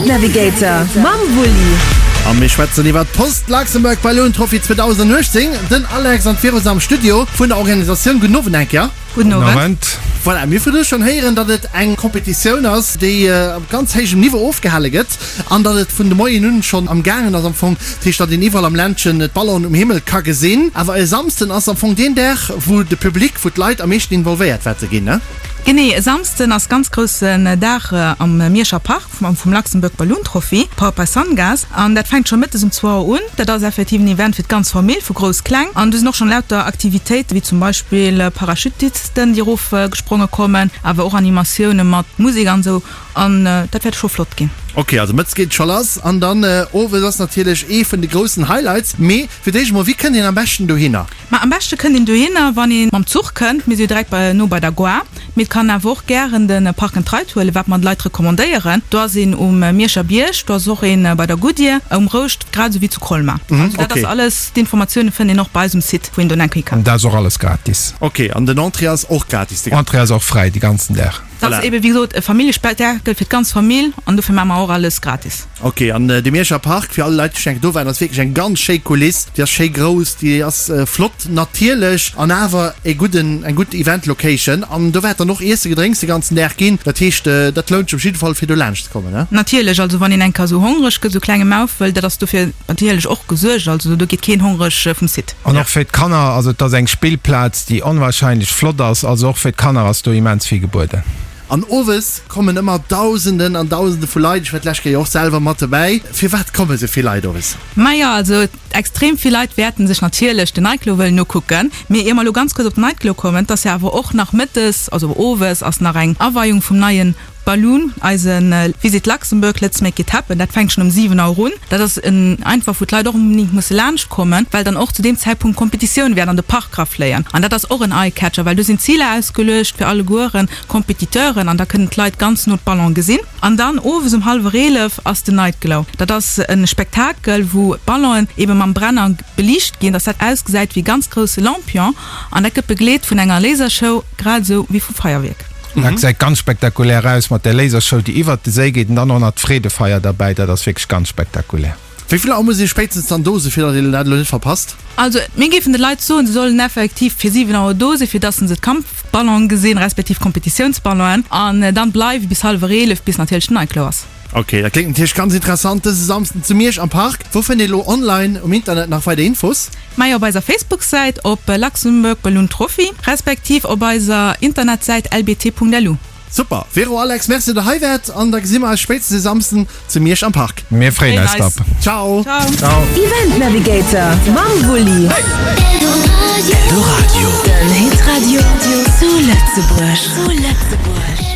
Event Navigator mam Wulli. A mir schwätzen iwwer d'Post Luxembourg Balloon Trophy 2018. Den Alex an d'Vero sinn am Studio vun der Organisatioun. Gudden Owend eng Kéier. Gudden Owend. Voilà, mir hu virdru schonn héieren, datt et eng Competitioun ass, déi op ganz héijem Niveau ofgehale gëtt an datt et vun de Moien un schonn am gaangen ass am Fong. Dat heescht, datt een iwwerall am Ländchen d'Ballonen um Himmel ka gesinn. Awer e Samsden ass am Fong deen Dag, wou de Public, wou d'Leit am meeschten involvéiert wäerte ginn, ne? Genee, e Samsden ass ganz groussen Dag am Mierscher Park vum Luxembourg Balloon Trophy, powered by Sungas. An dat fänkt scho mëttes um zwou Auer un. Dat ass effektiv en Event fir d'ganz Famill, vu grouss, kleng. An do sinn och schonn lauter Aktivitéiten, wéi zum Beispill Parachutisten, déi erof gespronge kommen, awer och Animatioune mat Musek an esou. An dat wäert scho flott ginn. Ok, also mëttes geet et scho lass an dann owes ass natierlech ee vun de groussen Highlights. Mee fir d'éischt emol, wéi kënnt een am beschten dohinner? Ma am beschte kënnt een dohinner, wann ee mam Zuch kënnt. Mir si jo direkt bei, no bei der Gare. Mee et kann awer och gären de Park and Ride huelen, wat mer de Leit recommandéieren. Do ass een um Mierscher Bierg, do ass och een bei der Goodyear, um Rouscht, grad esou wéi zu Colmar. Also dat ass alles, d'Informatioune fënnt een och bei eis um Site, wou een do enk hi kann. An dat ass och alles gratis. Ok, an den Entrée ass och gratis de ganzen. Entrée ass och fräi de ganzen Dag. Dat ass ebe wéi gesot e Familljespektakel fir d'ganz Famill an dofir maache mer och alles gratis. Ok, an de Mierscher Park, fir all Leit déi schonn eng Kéier do waren, ass wierklech eng ganz schéi Kuliss. Déi ass schéi grouss, déi ass flott natierlech an awer e gudden, eng gutt Event Location. An do wäert dann och Iesse Gedrénks de ganzen Dag ginn. Dat heescht, dat lount sech op jidde Fall fir do laanscht ze kommen, ne? Natierlech, also wann een eng Kéier esou hongreg gëtt, esou klenge Maufel, dat ass dofir natierlech och gesuergt. Also do geet keen hongreg vum Site. An och fir d'Kanner, also et ass eng Spillplaz, déi onwahrscheinlech flott ass, also och fir d'Kanner ass do immens vill gebueden. An owes kommen ëmmer Dausenden an Dausende vu Leit, ech war d'lescht Kéier och selwer mat dobäi. Firwat komme sou vill Leit owes? Majo, also extrem vill Leit wäerten sech natierlech den Nightglow wëllen ukucken. Mee ier mer elo ganz kuerz op den Nightglow kommen, et ass jo awer och nach mëttes, also owes ass nach eng Aweiung vum neien Balloon, eise Visit Luxembourg, Let's make it happen, dat fänkt schonn um 7 Auer un. Dat ass en einfach, wou d'Leit och onbedéngt musse laanscht kommen, well dann och zu deem Zäitpunkt Competitioune wäerten an de Park rafléien. An dat ass och en Eye-Catcher, well do sinn Ziler ausgeluecht fir allegueren Competiteuren an da kënnen d'Leit ganz no d'Ballon gesinn. An dann owes um hallwer 11 ass den Night Glow. Dat ass e Spektakel, wou d'Ballonen ebe mam Brenner beliicht ginn, dass dat ausgesäit wéi e ganz grousse Lampion. An dat gëtt begleet vun enger Lasershow, grad esou wéi vu Feierwierk. Dat gesäit ganz spektakulär aus mat där Lasershow, déi iwwert de Séi geet an dann och nach d'Freedefeier derbäi. Dat ass wierklech ganz spektakulär. Wéi vill Auer muss ee spéitstens dann do sinn, fir datt een dat elo net verpasst? Also mir géifen de Leit soen, se sollen effektiv fir 7 Auer do sinn, fir datt se d'Kampfballonen gesinn, respektiv d'Kompetitiounsballonen, an dann bleiwe bis hallwer 11, bis natierlech den Nightglow ass. Ok, dat kléngt natierlech ganz interessant. Dëse Samsden zu Miersch am Park. Wou fënnt ee lo online um Internet nach weider Infos? Majo, op eiser Facebook-Säit op Luxembourg Balloon Trophy, respektiv op eiser Internetsäit lbt.lu. Super! Vero, Alex, Merci dat der hei waart an da gesi mer eis spéitstens e Samsden zu Miersch am Park. Mir freeën eis drop. Ciao! Ciao! Event Navigator mam Wulli. Eldoradio. Den Hitradio zu Lëtzebuerg.